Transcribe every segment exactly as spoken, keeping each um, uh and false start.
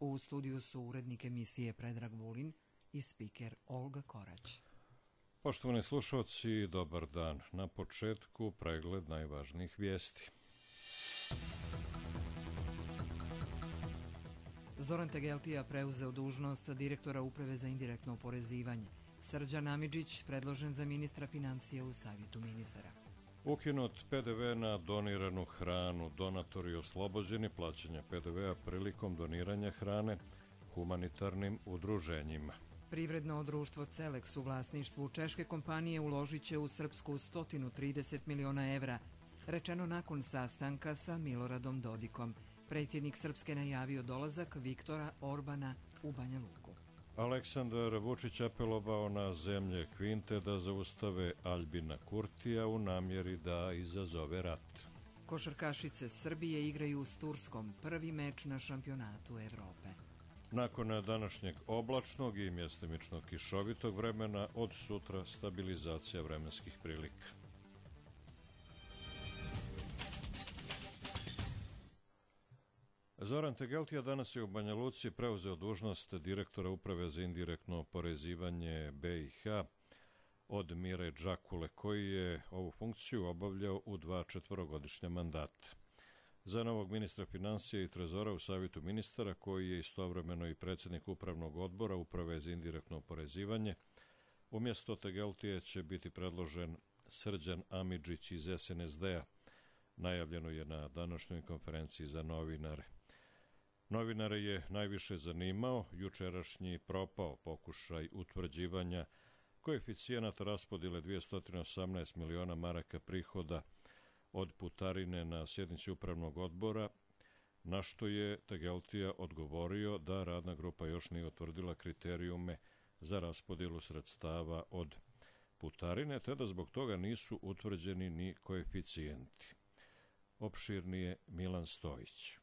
U studiju su urednik emisije Predrag Vulin i spiker Olga Korać. Poštovani slušalci, dobar dan. Na početku pregled najvažnijih vijesti. Zoran Tegeltija preuzeo dužnost direktora Uprave za indirektno oporezivanje. Srđan Amidžić predložen za ministra financija u Savjetu ministara. Ukinut P D V na doniranu hranu. Donatori oslobođeni plaćanja P D V-a prilikom doniranja hrane humanitarnim udruženjima. Privredno društvo Celeks u vlasništvu češke kompanije uložit će u Srpsku sto trideset miliona evra, rečeno nakon sastanka sa Miloradom Dodikom. Predsjednik Srpske najavio dolazak Viktora Orbana u Banja Luku. Aleksandar Vučić apelovao na zemlje Kvinte da zaustave Aljbina Kurtija u namjeri da izazove rat. Košarkašice Srbije igraju s Turskom prvi meč na šampionatu Evrope. Nakon današnjeg oblačnog i mjestimičnog kišovitog vremena, od sutra stabilizacija vremenskih prilika. Zoran Tegeltija danas je u Banja Luci preuzeo dužnost direktora Uprave za indirektno oporezivanje B i H od Mire Džakule, koji je ovu funkciju obavljao u dva četvorogodišnja mandata. Za novog ministra financija i trezora u Savjetu ministara, koji je istovremeno i predsjednik Upravnog odbora Uprave za indirektno oporezivanje, umjesto Tegeltije će biti predložen Srđan Amidžić iz S N S D-a. Najavljeno je na današnjoj konferenciji za novinare. Novinare je najviše zanimao jučerašnji propao pokušaj utvrđivanja koeficijenata raspodjele dvjesto osamnaest miliona maraka prihoda od putarine na sjednici Upravnog odbora, na što je Tegeltija odgovorio da radna grupa još nije utvrdila kriterijume za raspodjelu sredstava od putarine, te da zbog toga nisu utvrđeni ni koeficijenti. Opširnije Milan Stojić.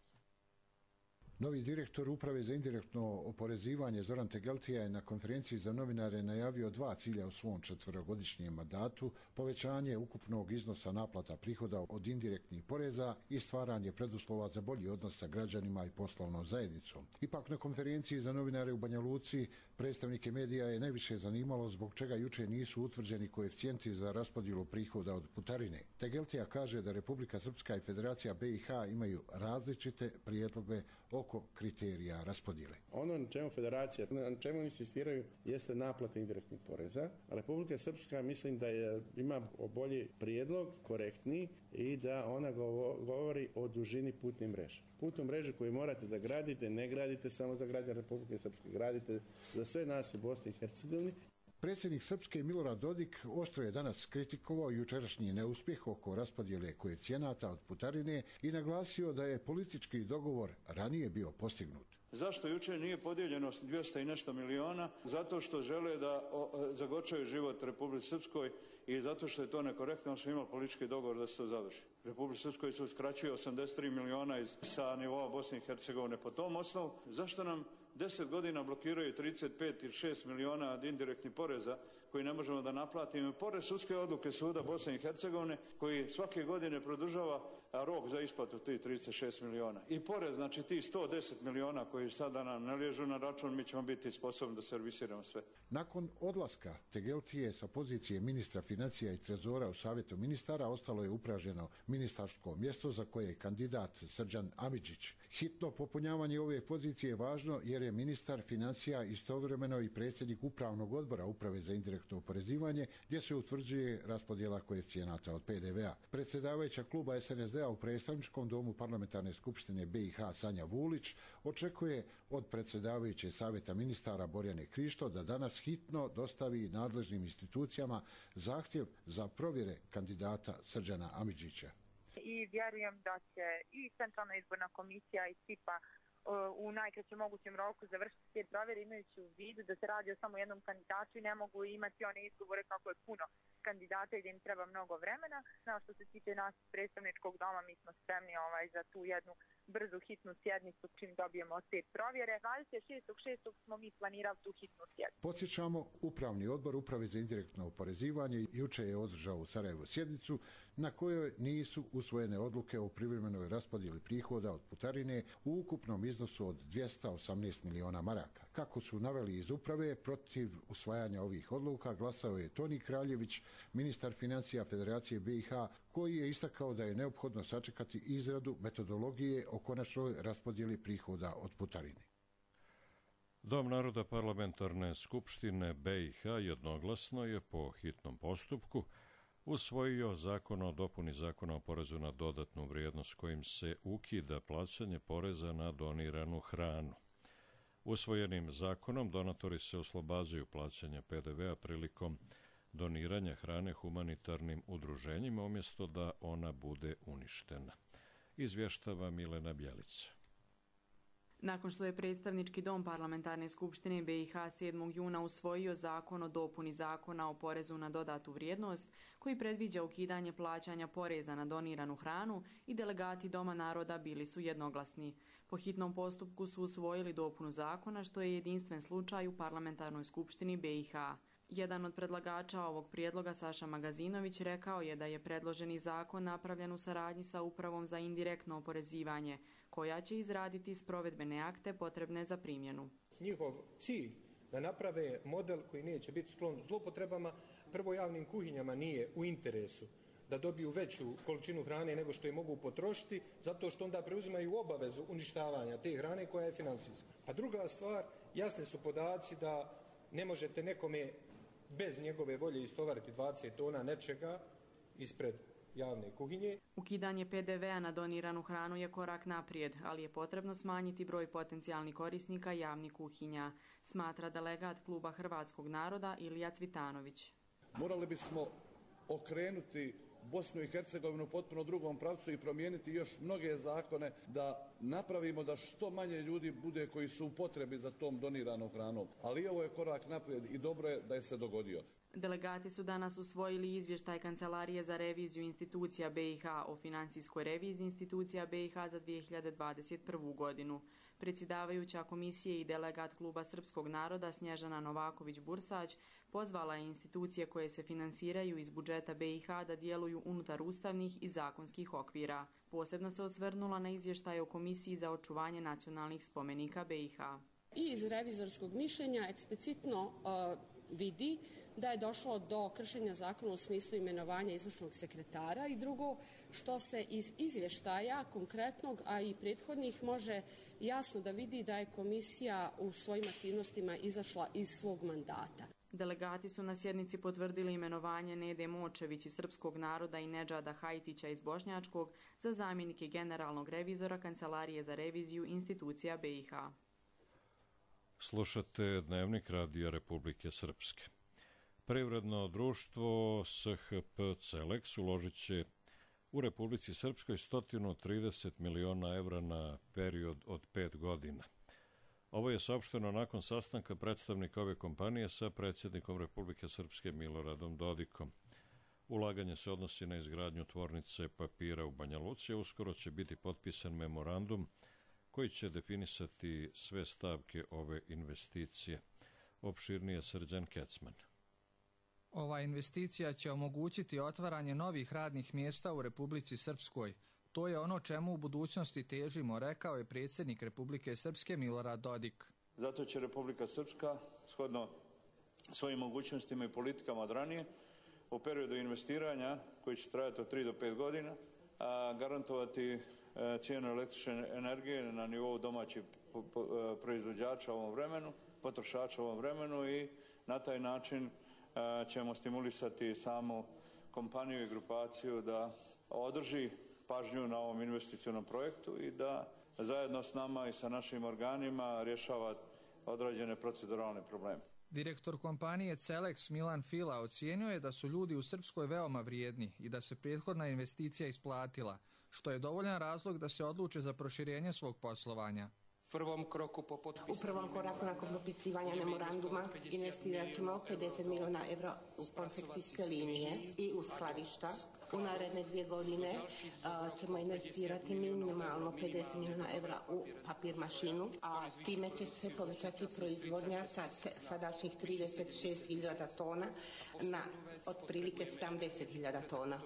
Novi direktor Uprave za indirektno oporezivanje Zoran Tegeltija je na konferenciji za novinare najavio dva cilja u svom četverogodišnjem mandatu: povećanje ukupnog iznosa naplata prihoda od indirektnih poreza i stvaranje preduslova za bolji odnos sa građanima i poslovnom zajednicom. Ipak na konferenciji za novinare u Banja Luci predstavnike medija je najviše zanimalo zbog čega juče nisu utvrđeni koeficijenti za raspodjelu prihoda od putarine. Tegeltija kaže da Republika Srpska i Federacija B i H imaju različite prijedloge oko kriterija raspodjele. Ono na čemu Federacija, na čemu insistiraju, jeste naplata indirektnih poreza. Republika Srpska mislim da je, ima bolji prijedlog, korektniji, i da ona govori o dužini putne mreže. Putnu mrežu koju morate da gradite, ne gradite samo za građane Republike Srpske, gradite za sve nas u Bosni i Hercegovini. Predsjednik Srpske Milorad Dodik oštro je danas kritikovao jučerašnji neuspjeh oko raspodjele koeficijenata od putarine i naglasio da je politički dogovor ranije bio postignut. Zašto jučer nije podijeljeno dvjesto i nešto miliona? Zato što žele da zagorčaju život Republici Srpskoj i zato što je to nekorektno, smo imali politički dogovor da se to završi. Republici Srpskoj se uskraćuje osamdeset tri miliona iz, sa nivoa Bosne i Hercegovine po tom osnovu. Zašto nam deset godina blokiraju trideset pet ili šest miliona od indirektnih poreza koji ne možemo da naplatimo, pored sudske odluke Suda Bosne i Hercegovine koji svake godine produžava rok za isplatu tih trideset šest miliona. I pored, znači, tih sto deset miliona koji sada nam ne liježu na račun, mi ćemo biti sposobni da servisiramo sve. Nakon odlaska Tegeltije sa pozicije ministra financija i trezora u Savjetu ministara ostalo je upražnjeno ministarsko mjesto za koje je kandidat Srđan Amidžić. Hitno popunjavanje ove pozicije je važno jer je ministar financija istovremeno i predsjednik Upravnog odbora Uprave za indirektno oporezivanje, gdje se utvrđuje raspodjela koeficijenata od P D V-a. Predsjedavajuća kluba S N S D-a u predstavničkom domu Parlamentarne skupštine B i H Sanja Vulić očekuje od predsjedavajuće Savjeta ministara Borjane Krišto da danas hitno dostavi nadležnim institucijama zahtjev za provjere kandidata Srđana Amidžića. I vjerujem da će i Centralna izborna komisija i C I P A u najkraćem mogućem roku završiti te provjere, imajući u vidu da se radi o samo jednom kandidatu i ne mogu imati one izgovore kako je puno kandidata i da im treba mnogo vremena. No, što se tiče nas predstavničkog doma, mi smo spremni ovaj, za tu jednu brzu hitnu sjednicu čim dobijemo te provjere. dvadeset šestog šestog smo mi planirali tu hitnu sjednicu. Podsjećamo, Upravni odbor Uprave za indirektno oporezivanje juče je održao u Sarajevu sjednicu na kojoj nisu usvojene odluke o privremenoj raspodjeli prihoda od putarine u ukupnom iznosu od dvjesto osamnaest miliona maraka. Kako su naveli iz uprave, protiv usvajanja ovih odluka glasao je Toni Kraljević, ministar financija Federacije B i H, koji je istakao da je neophodno sačekati izradu metodologije o konačnoj raspodjeli prihoda od putarine. Dom naroda Parlamentarne skupštine B i H jednoglasno je po hitnom postupku usvojio zakon o dopuni zakona o porezu na dodatnu vrijednost kojim se ukida plaćanje poreza na doniranu hranu. Usvojenim zakonom donatori se oslobađaju plaćanja P D V-a prilikom doniranja hrane humanitarnim udruženjima umjesto da ona bude uništena. Izvještava Milena Bjelica. Nakon što je predstavnički dom Parlamentarne skupštine B i H sedmog juna usvojio zakon o dopuni zakona o porezu na dodatu vrijednost, koji predviđa ukidanje plaćanja poreza na doniranu hranu, i delegati Doma naroda bili su jednoglasni. Po hitnom postupku su usvojili dopunu zakona, što je jedinstven slučaj u Parlamentarnoj skupštini B i H. Jedan od predlagača ovog prijedloga, Saša Magazinović, rekao je da je predloženi zakon napravljen u saradnji sa Upravom za indirektno oporezivanje, koja će izraditi sprovedbene akte potrebne za primjenu. Njihov cilj da naprave model koji neće biti sklon zlopotrebama, prvo javnim kuhinjama nije u interesu da dobiju veću količinu hrane nego što je mogu potrošiti, zato što onda preuzimaju obavezu uništavanja te hrane koja je financijska. A druga stvar, jasni su podaci da ne možete nekome bez njegove volje istovariti dvadeset tona nečega ispred javne kuhinje. Ukidanje P D V-a na doniranu hranu je korak naprijed, ali je potrebno smanjiti broj potencijalnih korisnika javnih kuhinja, smatra delegat Kluba Hrvatskog naroda Ilija Cvitanović. Morali bismo okrenuti Bosnu i Hercegovinu potpuno drugom pravcu i promijeniti još mnoge zakone da napravimo da što manje ljudi bude koji su u potrebi za tom doniranom hranom. Ali ovo je korak naprijed i dobro je da je se dogodio. Delegati su danas usvojili izvještaj Kancelarije za reviziju institucija B i H o financijskoj reviziji institucija B i H za dvije hiljade dvadeset prvu godinu. Predsjedavajuća komisije i delegat Kluba Srpskog naroda Snježana Novaković-Bursać pozvala je institucije koje se finansiraju iz budžeta B i H da djeluju unutar ustavnih i zakonskih okvira. Posebno se osvrnula na izvještaj o Komisiji za očuvanje nacionalnih spomenika B i H. I iz revizorskog mišljenja eksplicitno uh, vidi da je došlo do kršenja zakona u smislu imenovanja izvršnog sekretara, i drugo, što se iz izvještaja konkretnog, a i prethodnih, može jasno da vidi da je komisija u svojim aktivnostima izašla iz svog mandata. Delegati su na sjednici potvrdili imenovanje Nede Močević iz Srpskog naroda i Nedžada Hajtića iz Bošnjačkog za zamjenike generalnog revizora Kancelarije za reviziju institucija B i H. Slušate Dnevnik Radija Republike Srpske. Privredno društvo S H P Celeks uložit će u Republici Srpskoj sto trideset miliona evra na period od pet godina. Ovo je saopšteno nakon sastanka predstavnika ove kompanije sa predsjednikom Republike Srpske Miloradom Dodikom. Ulaganje se odnosi na izgradnju tvornice papira u Banja Luci, a uskoro će biti potpisan memorandum koji će definisati sve stavke ove investicije. Opširnije Srđan Kecman. Ova investicija će omogućiti otvaranje novih radnih mjesta u Republici Srpskoj. To je ono čemu u budućnosti težimo, rekao je predsjednik Republike Srpske Milorad Dodik. Zato će Republika Srpska, shodno svojim mogućnostima i politikama od ranije, u periodu investiranja, koji će trajati od tri do pet godina, a, garantovati a, cijenu električne energije na nivou domaćih proizvođača u ovom vremenu, potrošača u ovom vremenu, i na taj način a, ćemo stimulisati samu kompaniju i grupaciju da održi pažnju na ovom investicionom projektu i da zajedno s nama i sa našim organima rješava određene proceduralne probleme. Direktor kompanije Celeks Milan Fila ocijenio je da su ljudi u Srpskoj veoma vrijedni i da se prethodna investicija isplatila, što je dovoljan razlog da se odluče za proširenje svog poslovanja. prvom kroku po potpisivanju. U prvom koraku nakon potpisivanja memoranduma investirat ćemo pedeset milijuna evra u konfekcijske linije i u skladišta. U naredne dvije godine uh, ćemo investirati minimalno pedeset milijuna evra u papir mašinu, a time će se povećati proizvodnja sa sadašnjih trideset šest hiljada tona na otprilike sedamdeset hiljada tona.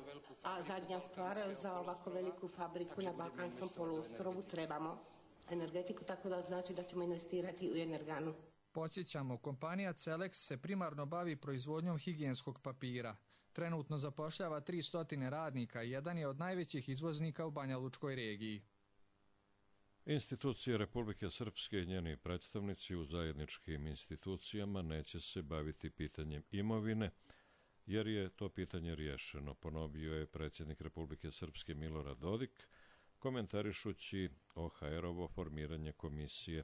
A zadnja stvar, za ovako veliku fabriku na Balkanskom poluostrovu trebamo energetiku, tako da znači da ćemo investirati u energanu. Podsjećamo, kompanija Celex se primarno bavi proizvodnjom higijenskog papira. Trenutno zapošljava tristo radnika i jedan je od najvećih izvoznika u Banja Lučkoj regiji. Institucije Republike Srpske i njeni predstavnici u zajedničkim institucijama neće se baviti pitanjem imovine, jer je to pitanje riješeno, ponovio je predsjednik Republike Srpske Milorad Dodik, komentarišući O H R-ovo formiranje komisije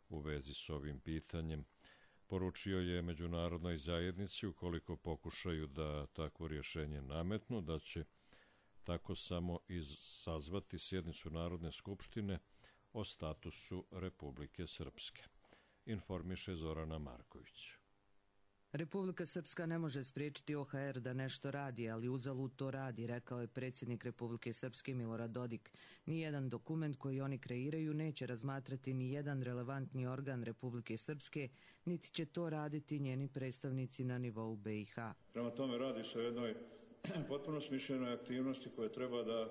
u vezi s ovim pitanjem. Poručio je međunarodnoj zajednici, ukoliko pokušaju da takvo rješenje nametnu, da će tako samo sazvati sjednicu Narodne skupštine o statusu Republike Srpske. Informiše Zorana Marković. Republika Srpska ne može spriječiti O H R da nešto radi, ali uzalud to radi, rekao je predsjednik Republike Srpske Milorad Dodik. Nijedan dokument koji oni kreiraju neće razmatrati ni jedan relevantni organ Republike Srpske, niti će to raditi njeni predstavnici na nivou B i H. Prema tome radi se o jednoj potpuno smišljenoj aktivnosti koja treba da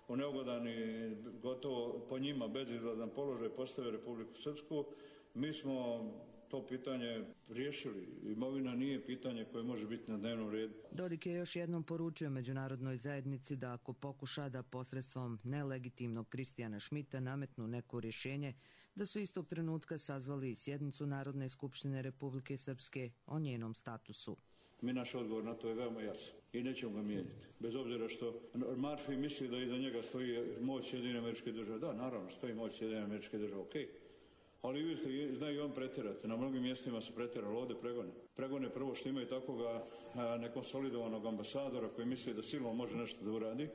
u neugodan i gotovo po njima bezizlazan položaj postave Republiku Srpsku. Mi smo to pitanje riješili. Imovina nije pitanje koje može biti na dnevnom redu. Dodik je još jednom poručio međunarodnoj zajednici da ako pokuša da posredstvom nelegitimnog Kristijana Šmita nametnu neko rješenje, da su istog trenutka sazvali sjednicu Narodne skupštine Republike Srpske o njenom statusu. Mi naš odgovor na to je veoma jasan i nećemo ga mijenjati. Bez obzira što Marfi misli da iza njega stoji moć Sjedinjenih Američkih Država. Da, naravno, stoji moć Sjedinjenih Američkih Država, okej. Okay. Ali vi ste, znaju i on pretjerati. Na mnogim mjestima su pretjerali, ovdje pregone. Pregone prvo što imaju takvoga nekonsolidovanog ambasadora koji misli da silom može nešto da uradi,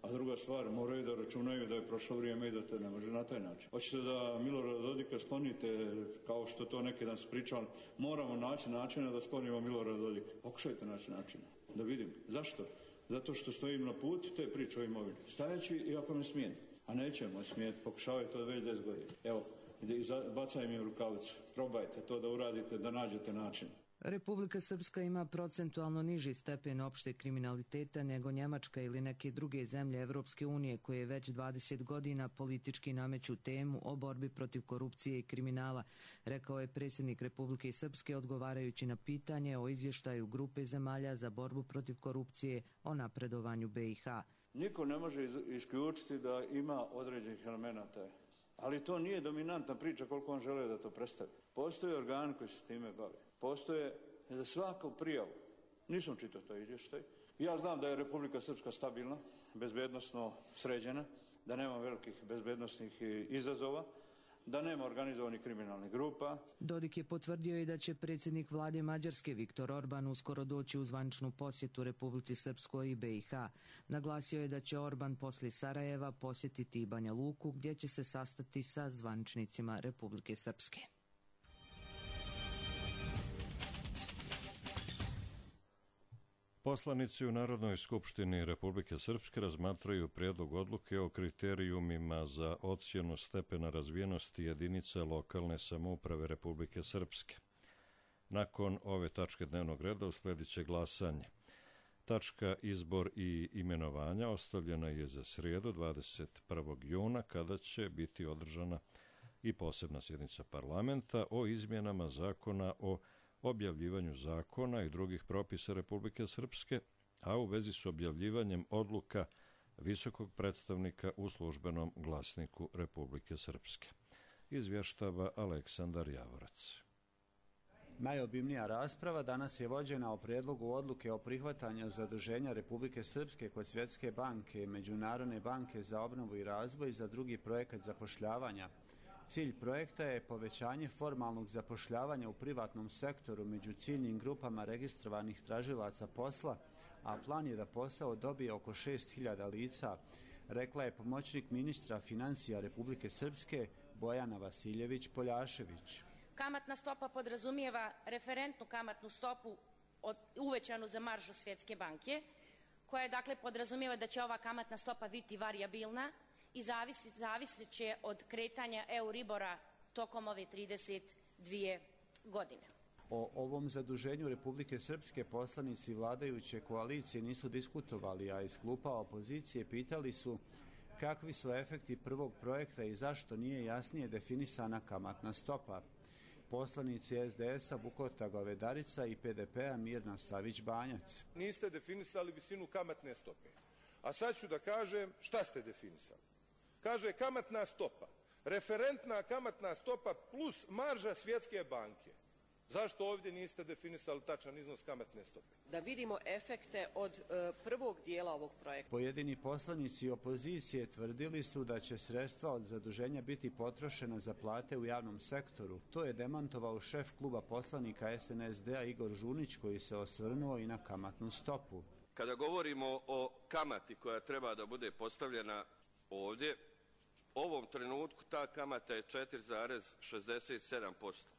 a druga stvar, moraju da računaju da je prošlo vrijeme i da to ne može na taj način. Hoćete da Milorada Dodika sklonite, kao što to neki dan su pričali, moramo naći načina da sklonimo Milorada Dodika. Pokušajte naći načina, da vidim. Zašto? Zato što stojim na put te priče o imovini. Stajeći i ako me smijeni. A nećemo smijeti, pokušavaju to već deset godina. Evo, i bacaj mi u rukavicu. Probajte to da uradite, da nađete način. Republika Srpska ima procentualno niži stepen opšte kriminaliteta nego Njemačka ili neke druge zemlje Evropske unije koje već dvadeset godina politički nameću temu o borbi protiv korupcije i kriminala, rekao je predsjednik Republike Srpske odgovarajući na pitanje o izvještaju grupe zemalja za borbu protiv korupcije o napredovanju B i H. Niko ne može isključiti da ima određenih elemenata, ali to nije dominantna priča koliko on žele da to predstavi. Postoje organ koji se s time bave. Postoje za svaku prijavu. Nisam čitao to izvještaj. Ja znam da je Republika Srpska stabilna, bezbednosno sređena, da nema velikih bezbednosnih izazova, da nema organizovanih kriminalnih grupa. Dodik je potvrdio i da će predsjednik vlade Mađarske Viktor Orban uskoro doći u zvaničnu posjetu Republici Srpskoj i B i H. Naglasio je da će Orban poslije Sarajeva posjetiti i Banja Luku, gdje će se sastati sa zvaničnicima Republike Srpske. Poslanici u Narodnoj skupštini Republike Srpske razmatraju prijedlog odluke o kriterijumima za ocjenu stepena razvijenosti jedinica lokalne samouprave Republike Srpske. Nakon ove tačke dnevnog reda usledit će glasanje. Tačka izbor i imenovanja ostavljena je za srijedu dvadeset prvog juna kada će biti održana i posebna sjednica parlamenta o izmjenama zakona o objavljivanju zakona i drugih propisa Republike Srpske, a u vezi s objavljivanjem odluka visokog predstavnika u službenom glasniku Republike Srpske. Izvještava Aleksandar Javorac. Najobimnija rasprava danas je vođena o prijedlogu odluke o prihvatanju zaduženja Republike Srpske kod Svjetske banke i Međunarodne banke za obnovu i razvoj za drugi projekat zapošljavanja. Cilj projekta je povećanje formalnog zapošljavanja u privatnom sektoru među ciljnim grupama registrovanih tražilaca posla, a plan je da posao dobije oko šest hiljada lica, rekla je pomoćnik ministra financija Republike Srpske Bojana Vasiljević-Poljašević. Kamatna stopa podrazumijeva referentnu kamatnu stopu od, uvećanu za maržu Svjetske banke, koja dakle podrazumijeva da će ova kamatna stopa biti varijabilna i zavisi, zavisit će od kretanja Euribora tokom ove trideset dvije godine. O ovom zaduženju Republike Srpske poslanici vladajuće koalicije nisu diskutovali, a iz klupa opozicije pitali su kakvi su efekti prvog projekta i zašto nije jasnije definisana kamatna stopa. Poslanici es de es a Bukota Govedarica i pe de pe a Mirna Savić-Banjac. Niste definisali visinu kamatne stope. A sad ću da kažem šta ste definisali. Kaže kamatna stopa, referentna kamatna stopa plus marža Svjetske banke. Zašto ovdje niste definisali tačan iznos kamatne stope? Da vidimo efekte od e, prvog dijela ovog projekta. Pojedini poslanici opozicije tvrdili su da će sredstva od zaduženja biti potrošena za plate u javnom sektoru. To je demantovao šef kluba poslanika es en es de a Igor Žunić, koji se osvrnuo i na kamatnu stopu. Kada govorimo o kamati koja treba da bude postavljena ovdje, u ovom trenutku ta kamata je četiri zarez šezdeset sedam posto.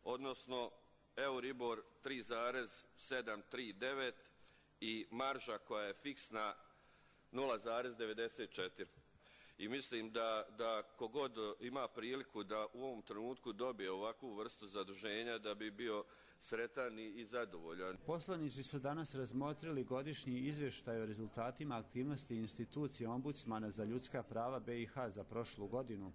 Odnosno Euribor tri zarez sedam tri devet i marža koja je fiksna nula zarez devedeset četiri. I mislim da, da kogod ima priliku da u ovom trenutku dobije ovakvu vrstu zaduženja da bi bio sretan i zadovoljan. Poslanici su danas razmotrili godišnji izvještaj o rezultatima aktivnosti institucije Ombudsmana za ljudska prava be i ha za prošlu godinu.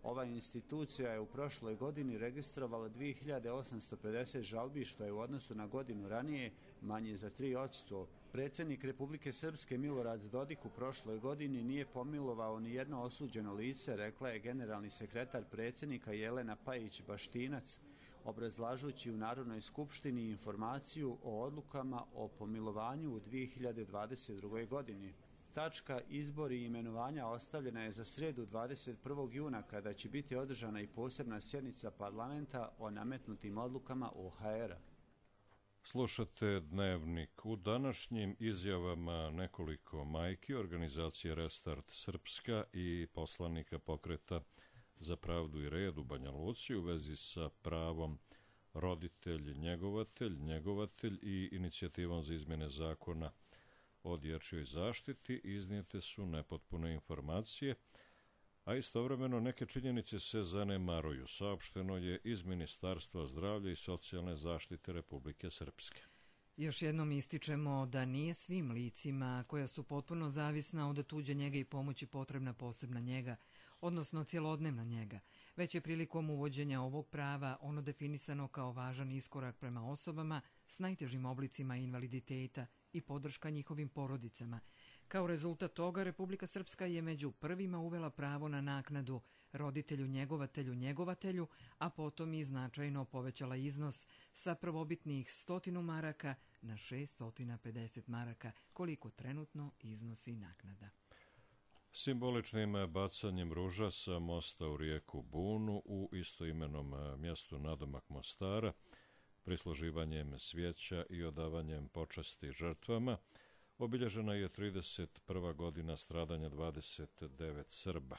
Ova institucija je u prošloj godini registrovala dvije hiljade osamsto pedeset žalbi, što je u odnosu na godinu ranije manje za tri posto. Predsjednik Republike Srpske Milorad Dodik u prošloj godini nije pomilovao ni jedno osuđeno lice, rekla je generalni sekretar predsjednika Jelena Pajić-Baštinac, obrazlažući u Narodnoj skupštini informaciju o odlukama o pomilovanju u dvije hiljade dvadeset drugoj godini. Tačka izbor i imenovanja ostavljena je za srijedu dvadeset prvog juna, kada će biti održana i posebna sjednica parlamenta o nametnutim odlukama o ha era. Slušate Dnevnik. U današnjim izjavama nekoliko majki organizacije Restart Srpska i poslanika Pokreta za pravdu i red u Banja Luci u vezi sa pravom roditelj, njegovatelj, njegovatelj i inicijativom za izmjene zakona o dječjoj zaštiti iznijete su nepotpune informacije, a istovremeno neke činjenice se zanemaruju, saopšteno je iz Ministarstva zdravlja i socijalne zaštite Republike Srpske. Još jednom ističemo da nije svim licima koja su potpuno zavisna od tuđe njege i pomoći potrebna posebna njega, odnosno cjelodnevna njega, već je prilikom uvođenja ovog prava ono definisano kao važan iskorak prema osobama s najtežim oblicima invaliditeta i podrška njihovim porodicama. Kao rezultat toga, Republika Srpska je među prvima uvela pravo na naknadu roditelju, njegovatelju, njegovatelju, a potom i značajno povećala iznos sa prvobitnih stotinu maraka na šesto pedeset maraka, koliko trenutno iznosi naknada. Simboličnim bacanjem ruža sa mosta u rijeku Bunu u istoimenom mjestu nadomak Mostara, prisluživanjem svijeća i odavanjem počasti žrtvama, obilježena je trideset prva godina stradanja dvadeset devet Srba.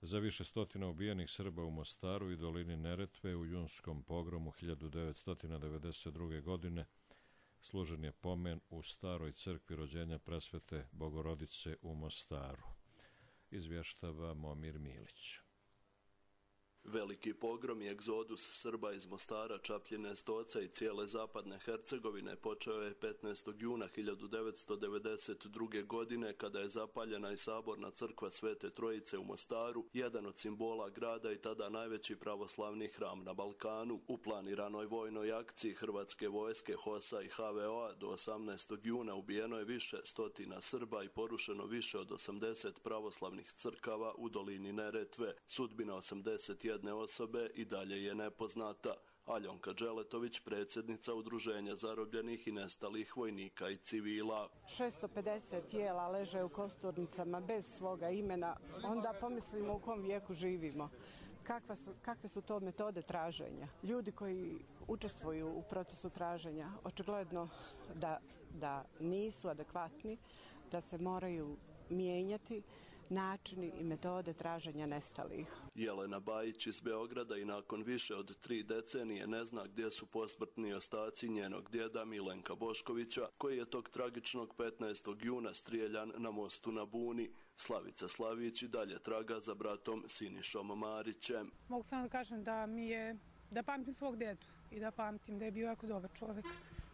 Za više stotina ubijenih Srba u Mostaru i dolini Neretve u junskom pogromu hiljadu devetsto devedeset druge. godine služen je pomen u staroj crkvi rođenja presvete Bogorodice u Mostaru. Izvještava Momir Milić. Veliki pogrom i egzodus Srba iz Mostara, Čapljine, Stoca i cijele zapadne Hercegovine počeo je petnaestog juna hiljadu devetsto devedeset druge. godine kada je zapaljena i saborna crkva Svete Trojice u Mostaru, jedan od simbola grada i tada najveći pravoslavni hram na Balkanu. U planiranoj vojnoj akciji Hrvatske vojske, HOS-a i ha ve o-a do osamnaestog juna ubijeno je više stotina Srba i porušeno više od osamdeset pravoslavnih crkava u dolini Neretve. Sudbina osamdeset jedne osobe i dalje je nepoznata. Aljonka Đeletović, predsjednica Udruženja zarobljenih i nestalih vojnika i civila. šesto pedeset tijela leže u kosturnicama bez svoga imena, onda pomislimo u kom vijeku živimo. Kakva su, kakve su to metode traženja? Ljudi koji učestvuju u procesu traženja očigledno da, da nisu adekvatni, da se moraju mijenjati, načini i metode traženja nestalih. Jelena Bajić iz Beograda i nakon više od tri decenije ne zna gdje su posmrtni ostaci njenog djeda Milenka Boškovića, koji je tog tragičnog petnaestog juna strijeljan na mostu na Buni. Slavica Slavić i dalje traga za bratom Sinišom Marićem. Mogu samo da kažem da mi je, da pamtim svog dedu i da pamtim da je bio jako dobar čovjek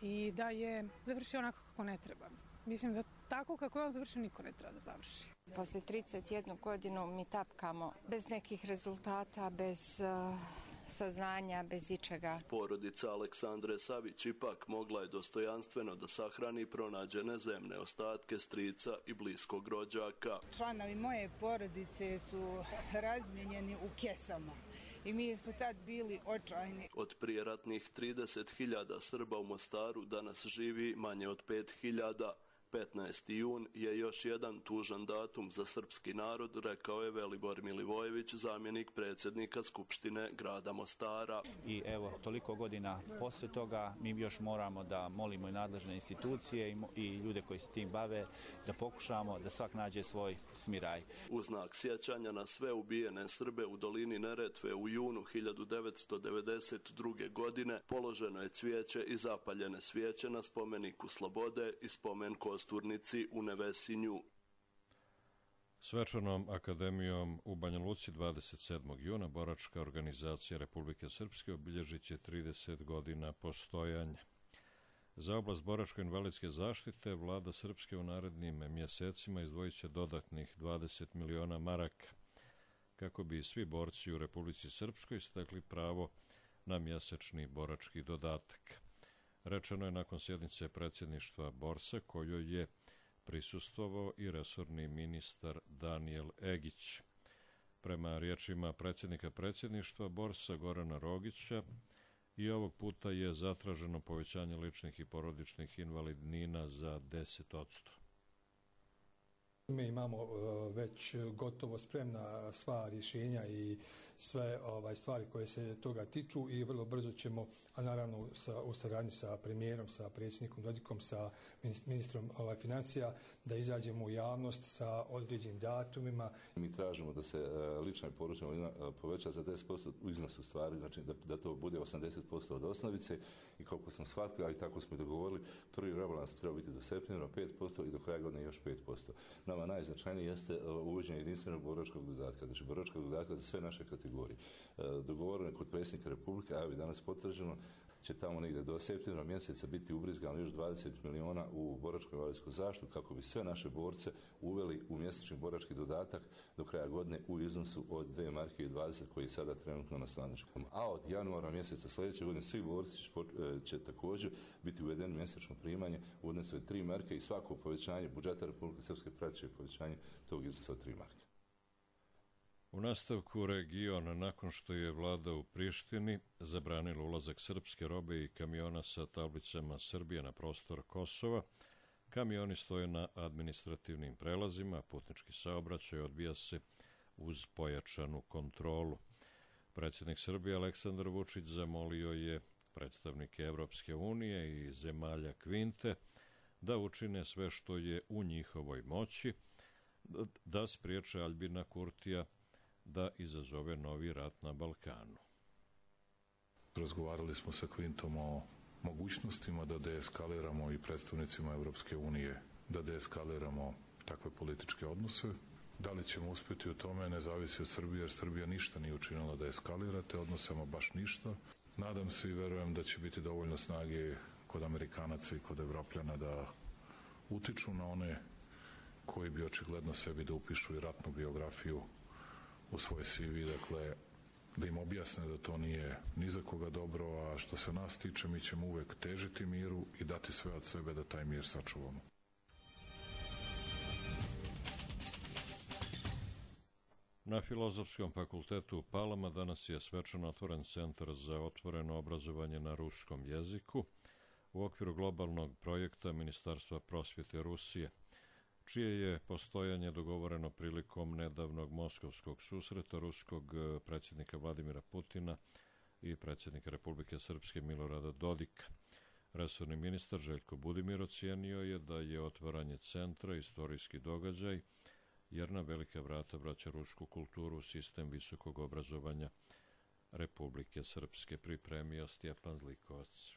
i da je završio onako kako ne treba. Mislim da tako kako je on završio niko ne treba da završi. Posle trideset jednu godinu mi tapkamo bez nekih rezultata, bez uh, saznanja, bez ičega. Porodica Aleksandre Savić ipak mogla je dostojanstveno da sahrani pronađene zemne ostatke strica i bliskog rođaka. Članovi moje porodice su razmijenjeni u kesama. I mi smo tad bili očajni. Od prijeratnih trideset hiljada Srba u Mostaru danas živi manje od pet hiljada. petnaesti jun je još jedan tužan datum za srpski narod, rekao je Velibor Milivojević, zamjenik predsjednika Skupštine grada Mostara. I evo, toliko godina posle toga mi još moramo da molimo i nadležne institucije i, i ljude koji se tim bave, da pokušamo da svak nađe svoj smiraj. U znak sjećanja na sve ubijene Srbe u dolini Neretve u junu hiljadu devetsto devedeset druge. godine položeno je cvijeće i zapaljene svijeće na spomeniku Slobode i spomen Kosturnici u Nevesinju. Svečanom akademijom u Banja Luci dvadeset sedmog juna boračka organizacija Republike Srpske obilježit će trideset godina postojanja. Za oblast boračko-invalidske zaštite vlada Srpske u narednim mjesecima izdvojit će dodatnih dvadeset miliona maraka, kako bi svi borci u Republici Srpskoj stekli pravo na mjesečni borački dodatak. Rečeno je nakon sjednice predsjedništva Borsa, kojoj je prisustvovao i resorni ministar Danijel Egić. Prema riječima predsjednika predsjedništva Borsa Gorana Rogića, i ovog puta je zatraženo povećanje ličnih i porodičnih invalidnina za deset odsto. Mi imamo već gotovo spremna sva rješenja i sve ovaj, stvari koje se toga tiču i vrlo brzo ćemo, a naravno sa, u saradnji sa premijerom, sa predsjednikom Dodikom, sa ministrom ovaj, financija, da izađemo u javnost sa određenim datumima. Mi tražimo da se lična i porodična invalidnina poveća za deset posto u iznosu stvari, znači da, da to bude osamdeset posto od osnovice i koliko smo shvatili, ali tako smo i dogovorili, prvi rebalans treba biti do septembra pet posto i do kraja godine još pet posto. Nama najznačajnije jeste uvođenje jedinstvenog boračkog dodatka, znači boračkog dodatka za sve naše kategorije. Dogovoreno je kod predsjednika Republike, a evo danas potvrđeno, će tamo negdje do septembra mjeseca biti ubrizgano još dvadeset miliona u boračko-invalidsku zaštitu kako bi sve naše borce uveli u mjesečni borački dodatak do kraja godine u iznosu od dvije marke i dvadeset koji je sada trenutno na snazi. A od januara mjeseca sljedeće godine svi borci će također biti uvedeni mjesečno primanje u odnosu od tri marke i svako povećanje budžeta Republike Srpske pratit će povećanje tog iznosa od tri marke. U nastavku region, nakon što je vlada u Prištini zabranila ulazak srpske robe i kamiona sa tablicama Srbije na prostor Kosova, kamioni stoje na administrativnim prelazima, putnički saobraćaj odvija se uz pojačanu kontrolu. Predsjednik Srbije Aleksandar Vučić zamolio je predstavnike Evropske unije i zemalja Kvinte da učine sve što je u njihovoj moći da spriječe Aljbina Kurtija da izazove novi rat na Balkanu. Razgovarali smo sa Kvintom o mogućnostima da deeskaliramo i predstavnicima Evropske unije da deeskaliramo takve političke odnose. Da li ćemo uspjeti u tome ne zavisi od Srbije, jer Srbija ništa nije učinila da eskalira te odnose, ama baš ništa. Nadam se i verujem da će biti dovoljno snage kod Amerikanaca i kod Evropljana da utiču na one koji bi očigledno sebi da upišu i ratnu biografiju u svoj C V, dakle, da im objasne da to nije ni za koga dobro, a što se nas tiče, mi ćemo uvek težiti miru i dati sve od sebe da taj mir sačuvamo. Na Filozofskom fakultetu u Palama danas je svečano otvoren centar za otvoreno obrazovanje na ruskom jeziku u okviru globalnog projekta Ministarstva prosvjete Rusije, čije je postojanje dogovoreno prilikom nedavnog moskovskog susreta ruskog predsjednika Vladimira Putina i predsjednika Republike Srpske Milorada Dodika. Resorni ministar Željko Budimir ocijenio je da je otvaranje centra istorijski događaj, jer na velika vrata vraća rusku kulturu u sistem visokog obrazovanja Republike Srpske, pripremio Stjepan Zlikovac.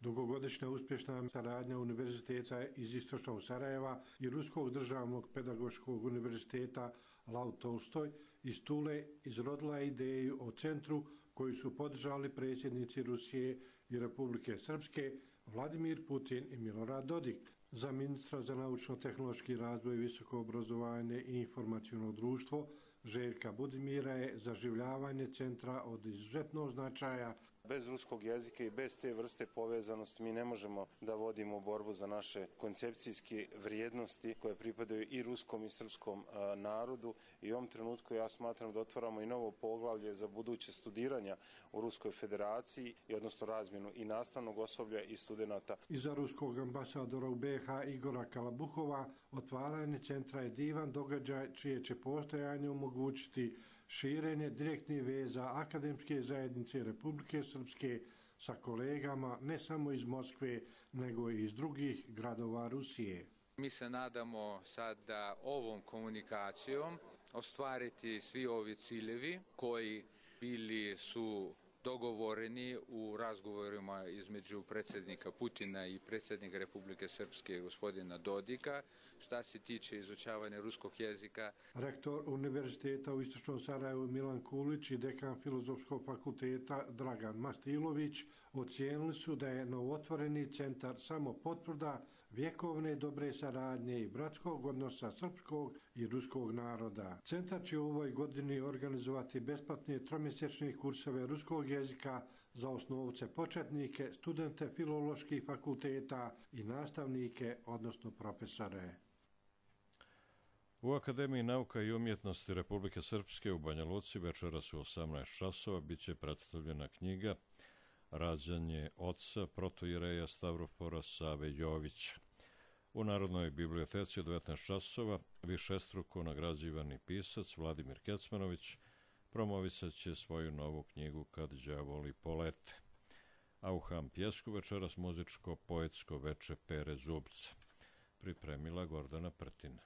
Dugogodišnja uspješna saradnja Univerziteta iz Istočnog Sarajeva i Ruskog državnog pedagoškog univerziteta Lav Tolstoj iz Tule izrodila je ideju o centru koju su podržali predsjednici Rusije i Republike Srpske Vladimir Putin i Milorad Dodik. Za ministra za naučno-tehnološki razvoj, visoko obrazovanje i informaciono društvo Željka Budimira je zaživljavanje centra od izuzetnog značaja. Bez ruskog jezika i bez te vrste povezanosti mi ne možemo da vodimo borbu za naše koncepcijske vrijednosti koje pripadaju i ruskom i srpskom narodu i u ovom trenutku ja smatram da otvaramo i novo poglavlje za buduće studiranja u Ruskoj federaciji i odnosno razmjenu i nastavnog osoblja i studenata. Iza ruskog ambasadora u B iH Igora Kalabuhova otvaranje centra je divan događaj čije će postojanje omogućiti širenje direktnih veza akademske zajednice Republike Srpske sa kolegama ne samo iz Moskve, nego i iz drugih gradova Rusije. Mi se nadamo sad da ovom komunikacijom ostvariti svi ovi ciljevi koji bili su dogovoreni u razgovorima između predsjednika Putina i predsjednika Republike Srpske gospodina Dodika, šta se tiče izučavanja ruskog jezika. Rektor Univerziteta u Istočnom Sarajevu Milan Kulić i dekan Filozofskog fakulteta Dragan Mastilović ocijenili su da je novotvoreni centar samo potvrda vjekovne dobre saradnje i bratskog odnosa srpskog i ruskog naroda. Centar će u ovoj godini organizovati besplatne tromjesečne kurseve ruskog jezika za osnovce početnike, studente filoloških fakulteta i nastavnike, odnosno profesore. U Akademiji nauka i umjetnosti Republike Srpske u Banja Luci večeras u osamnaest časova biće predstavljena knjiga Rađanje oca protoijereja Stavrofora Save Jovića. U Narodnoj biblioteci u devetnaest časova višestruko nagrađivani pisac Vladimir Kecmanović promovisat će svoju novu knjigu Kad đavoli polete. A u Ham Pjesku večeras muzičko-poetsko veče Pere Zubca. Pripremila Gordana Prtina.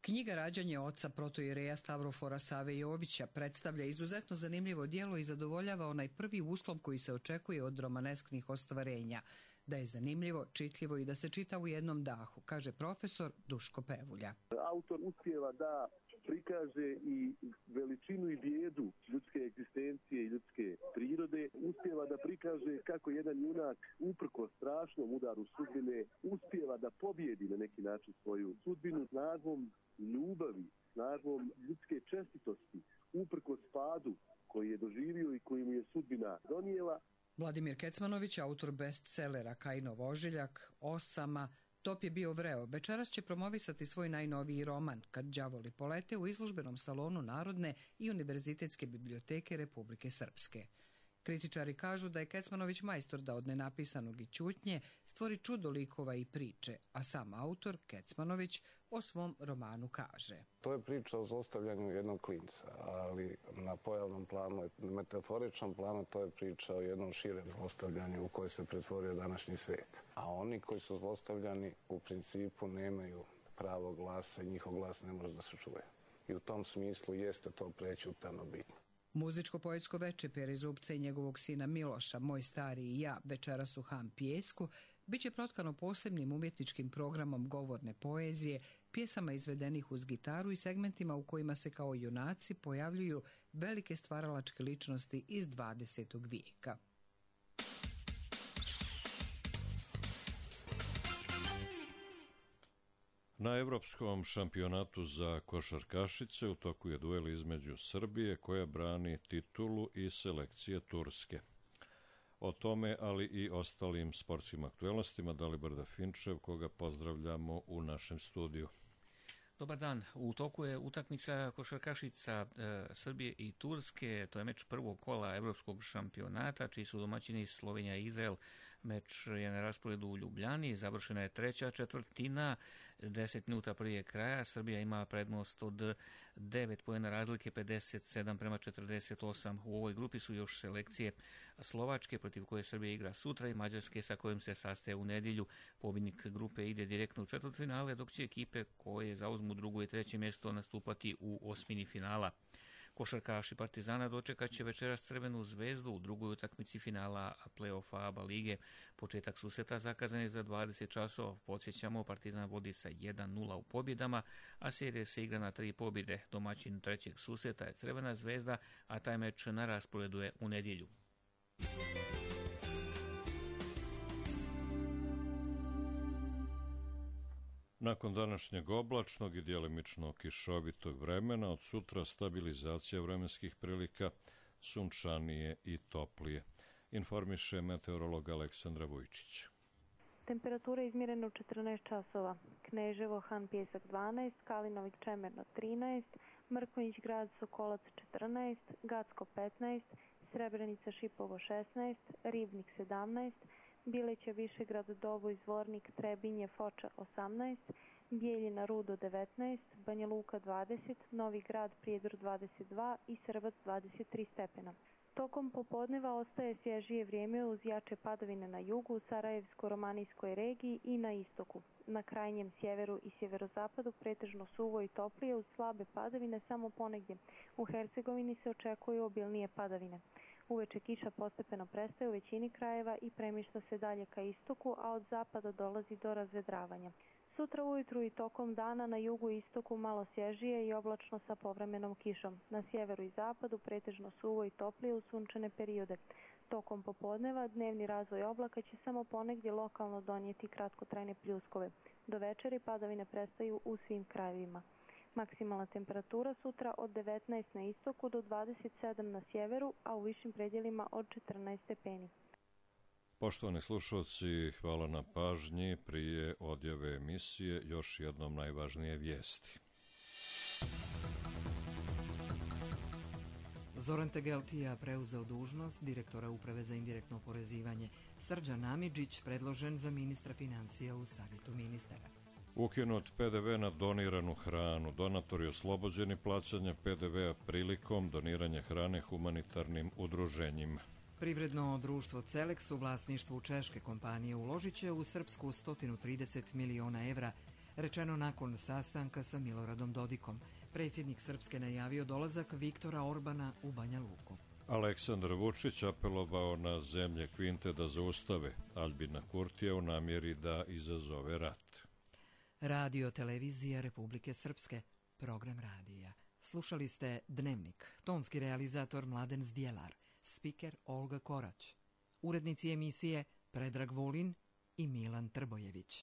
Knjiga Rađanje oca protoijereja Stavrofora Save Jovića predstavlja izuzetno zanimljivo djelo i zadovoljava onaj prvi uslov koji se očekuje od romanesknih ostvarenja, da je zanimljivo, čitljivo i da se čita u jednom dahu, kaže profesor Duško Pevulja. Autor uspijeva da prikaže i veličinu i bijedu ljudske egzistencije i ljudske prirode, uspijeva da prikaže kako jedan junak uprko strašnom udaru sudbine uspijeva da pobjedi na neki način svoju sudbinu snagom ljubavi, snagom ljudske čestitosti, uprko spadu koji je doživio i koji mu je sudbina donijela. Vladimir Kecmanović, autor bestsellera Kajinov ožiljak, Osama, Top je bio vreo, večeras će promovisati svoj najnoviji roman Kad đavoli polete u izložbenom salonu Narodne i Univerzitetske biblioteke Republike Srpske. Kritičari kažu da je Kecmanović majstor da od nenapisanog i ćutnje stvori čudo likova i priče, a sam autor, Kecmanović, o svom romanu kaže. To je priča o zlostavljanju jednog klinca, ali na pojavnom planu, metaforičnom planu, to je priča o jednom širem zlostavljanju u koje se pretvorio današnji svijet. A oni koji su zlostavljani u principu nemaju pravo glasa i njihov glas ne može da se čuje. I u tom smislu jeste to prećutano bitno. Muzičko-poetsko veče Pere Zubca i njegovog sina Miloša, Moj stari i ja, večeras u Ham Pjesku, biće protkano posebnim umjetničkim programom govorne poezije, pjesama izvedenih uz gitaru i segmentima u kojima se kao junaci pojavljuju velike stvaralačke ličnosti iz dvadesetog vijeka. Na Evropskom šampionatu za košarkašice u toku je duel između Srbije koja brani titulu i selekcije Turske. O tome, ali i ostalim sportskim aktuelnostima, Dalibor Dafinčev, koga pozdravljamo u našem studiju. Dobar dan. U toku je utakmica košarkašica e, Srbije i Turske. To je meč prvog kola Evropskog šampionata, čiji su domaćini Slovenija i Izrael. Meč je na rasporedu u Ljubljani, završena je treća četvrtina, deset minuta prije kraja. Srbija ima prednost od devet poena razlike, pedeset sedam prema četrdeset osam. U ovoj grupi su još selekcije Slovačke, protiv koje Srbija igra sutra, i Mađarske, sa kojim se sastaje u nedjelju. Pobjednik grupe ide direktno u četvrtfinale, dok će ekipe koje zauzmu drugo i treće mjesto nastupati u osmini finala. Košarkaši Partizana dočekat će večeras Crvenu zvezdu u drugoj utakmici finala play-offa ABA lige. Početak susreta zakazan je za dvadeset časova. Podsjećamo, Partizan vodi sa jedan nula u pobjedama, a serija se igra na tri pobjede. Domaćin trećeg susreta je Crvena zvezda, a taj meč na rasporedu je u nedjelju. Nakon današnjeg oblačnog i djelimično kišovitog vremena, od sutra stabilizacija vremenskih prilika, sunčanije i toplije, informiše meteorolog Aleksandra Vujčić. Temperatura je izmjerena u četrnaest časova. Kneževo, Han Pjesak dvanaest, Kalinović Čemerno trinaest, Mrkonjić Grad Sokolac četrnaest, Gacko petnaest, Srebrenica Šipovo šesnaest, Ribnik sedamnaest, Bileća Višegrad Doboj Zvornik Trebinje Foča osamnaest, Bijeljina Rudo devetnaest, Banja Luka dvadeset, Novi Grad Prijedor dvadeset dva i Srbac dvadeset tri stepena. Tokom popodneva ostaje svježije vrijeme uz jače padavine na jugu, u Sarajevsko-romanijskoj regiji i na istoku. Na krajnjem sjeveru i sjeverozapadu pretežno suvo i toplije uz slabe padavine samo ponegdje. U Hercegovini se očekuju obilnije padavine. Uveče kiša postepeno prestaje u većini krajeva i premješta se dalje ka istoku, a od zapada dolazi do razvedravanja. Sutra ujutru i tokom dana na jugu i istoku malo svježije i oblačno sa povremenom kišom. Na sjeveru i zapadu pretežno suvo i toplije u sunčane periode. Tokom popodneva dnevni razvoj oblaka će samo ponegdje lokalno donijeti kratkotrajne pljuskove. Do večeri padavine prestaju u svim krajevima. Maksimalna temperatura sutra od devetnaest na istoku do dvadeset sedam na sjeveru, a u višim predjelima od četrnaest stepeni. Poštovani slušalci, hvala na pažnji. Prije odjave emisije još jednom najvažnije vijesti. Zoran Tegeltija preuzeo dužnost direktora Uprave za indirektno oporezivanje. Srđan Amidžić predložen za ministra financija u Savjetu ministara. Ukinut P D V na doniranu hranu. Donatori oslobođeni plaćanja P D V-a prilikom doniranja hrane humanitarnim udruženjima. Privredno društvo Celex u vlasništvu češke kompanije uložit će u Srpsku sto trideset miliona evra, rečeno nakon sastanka sa Miloradom Dodikom. Predsjednik Srpske najavio dolazak Viktora Orbana u Banja Luku. Aleksandar Vučić apelovao na zemlje Kvinte da zaustave Albina Kurtija u namjeri da izazove rat. Radio Televizija Republike Srpske, program radija. Slušali ste Dnevnik, tonski realizator Mladen Zdjelar, spiker Olga Korać, urednici emisije Predrag Vulin i Milan Trbojević.